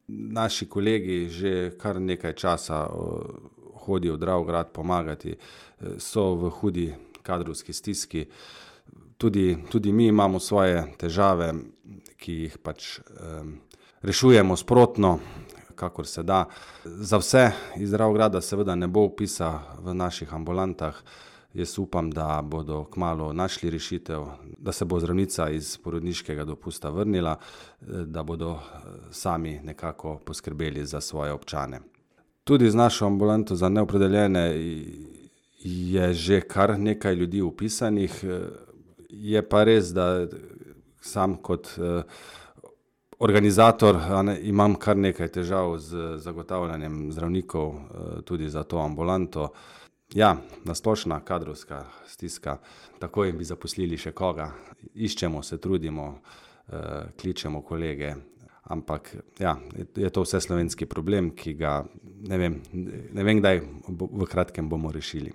Naši kolegi že kar nekaj časa hodijo v Dravograd pomagati, so v hudi kadrovski stiski. Tudi mi imamo svoje težave, ki jih pač rešujemo sprotno, kakor se da. Za vse iz Dravograda seveda ne bo vpisa v naših ambulantah. Jaz upam, da bodo kmalu našli rešitev, da se bo zdravnica iz porodniškega dopusta vrnila, da bodo sami nekako poskrbeli za svoje občane. Tudi z našo ambulanto za neopredeljene je že kar nekaj ljudi vpisanih. Je pa res, da sam kot organizator imam kar nekaj težav z zagotavljanjem zdravnikov tudi za to ambulanto. Ja, na splošna kadrovska stiska, takoj bi zaposlili še koga. Iščemo, se trudimo, kličemo kolege, ampak ja, je to vseslovenski problem, ki ga ne vem kdaj v kratkem bomo rešili.